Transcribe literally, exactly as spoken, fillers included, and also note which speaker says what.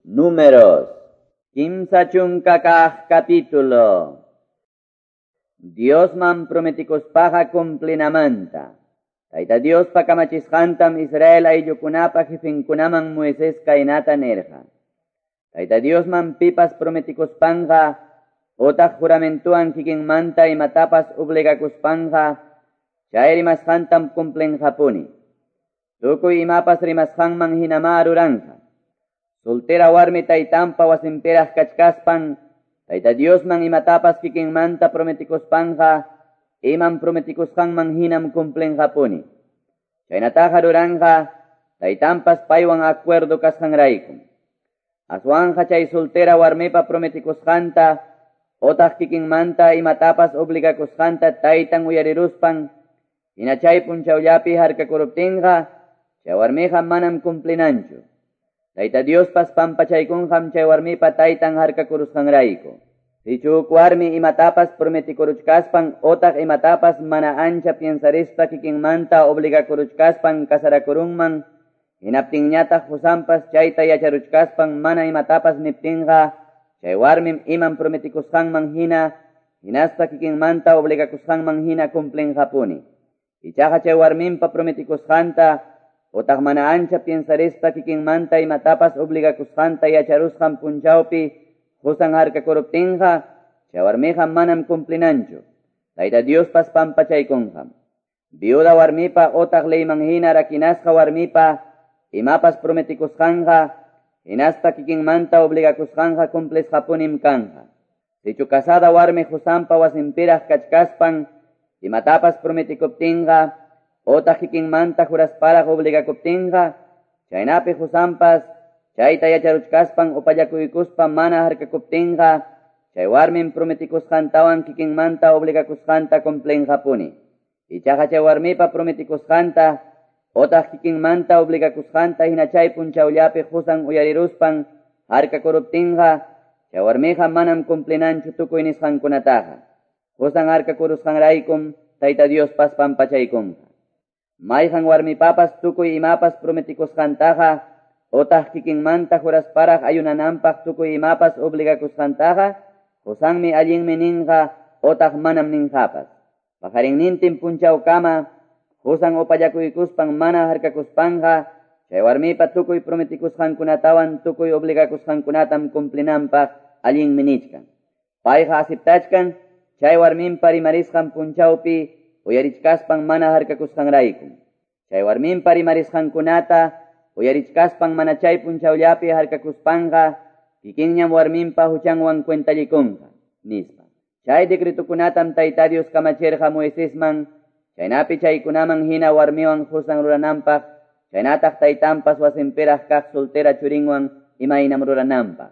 Speaker 1: Números, kimsa chunka kaq capítulo. Diosman prometikuspaqa cumplinamanta. Tayta Diospa kamachisqantam Israel ayllukunapa jefinkunaman Moisés kaynata nirqa. Tayta Diosman pipas prometikuspanqa otaq juramentuwan kikinmanta imatapas obligakuspanqa chay rimasqantam cumplinqapuni. Tukuy imapas rimasqanman hinama ruranja. Soltera warmi taytanpa wasinpiraq kachkaspan, Tayta Diosman imatapas kikinmanta prometikuspanqa, imam prometikusqanman hinam cumplinqapuni. Chaynataqa ruranja, taytanpas paywan acuerdo kasqanraykum. Aswanja chay soltera warmipa prometikusqanta, otaq kikinmanta imatapas obligakusqanta taytan uyariruspan, hina chay punchawllapi harkakuruptinqa, chay warmiqa manam cumplinanchu. Tayta Diospas pampachaykunqam chay warmipa taytan harkakurusqanrayku. Sichu huk warmi imatapas prometikuruchkaspan otaq imatapas mana ancha piensarispa kikinmanta obligakuruchkaspan kasarakurunman, hinaptinñataq qusanpas chayta yacharuchkaspan mana imatapas niptinqa, chay warmim imam prometikusqanman hina, hinaspa kikinmanta obligakusqanman hina cumplinqapuni. Ichaqa chay warminpa prometikusqanta otaq mana ancha piensarispa kikinmanta imatapas obligakusqanta yacharusqan punchawpi qusan harkakuruptinqa, chay warmiqa manam cumplinanchu. Tayta Diospas pampachaykunqam. Viuda warmipa otaq leyman hina rakinasqa warmipa imapas prometikusqanqa, hinaspa kikinmanta obligakusqanqa cumplisqapunim kanja. Sichu casada warmi qusanpa wasinpiraq kachkaspan imatapas prometikuptinqa, otaq kikinmanta jurasparaq obligakuptinqa, chaynapi qusanpas chayta yacharuchkaspan upallakuykuspa mana harkakuptinqa, chay warmin prometikusqantawan kikinmanta obligakusqanta cumplinqapuni. Ichaqa chay warmipa prometikusqanta, otaq kikinmanta obligakusqanta hina chay punchawllapi qusan uyariruspan harkakuruptinqa, chay warmiqa manam cumplinanchu tukuy nisqankunataqa. Qusan harkakurusqanraykum Tayta Diospas pampachaykunqa. Mayqan warmipapas tukuy imapas prometikusqantaqa, otaq kikinmanta jurasparaq ayunananpaq tukuy imapas obligakusqantaqa, qusanmi allinmi ninqa otaq manam ninqapas. Paqarinnintin punchawkama, qusan upallakuykuspan mana harkakuspanqa, chay warmipa tukuy prometikusqankunatawan tukuy obligakusqankunatam cumplinanpaq allinmi nichkan. Payqa aceptachkan, chay warminpa rimarisqan punchawpi uyarichkaspan mana harkakusqanraykum. Chay warminpa rimarisqankunata uyarichkaspan mana chay punchawllapi harkakuspanqa, kikinñam warminpa huchanwan cuentallikunqa, nispa. Chay decretukunatam Tayta Dios kamachirqa Moisesman, chaynapi chaykunaman hina warmiwan qusan rurananpaq, chaynataq taytanpas wasinpiraq kaq soltera churinwan imaynam rurananpaq.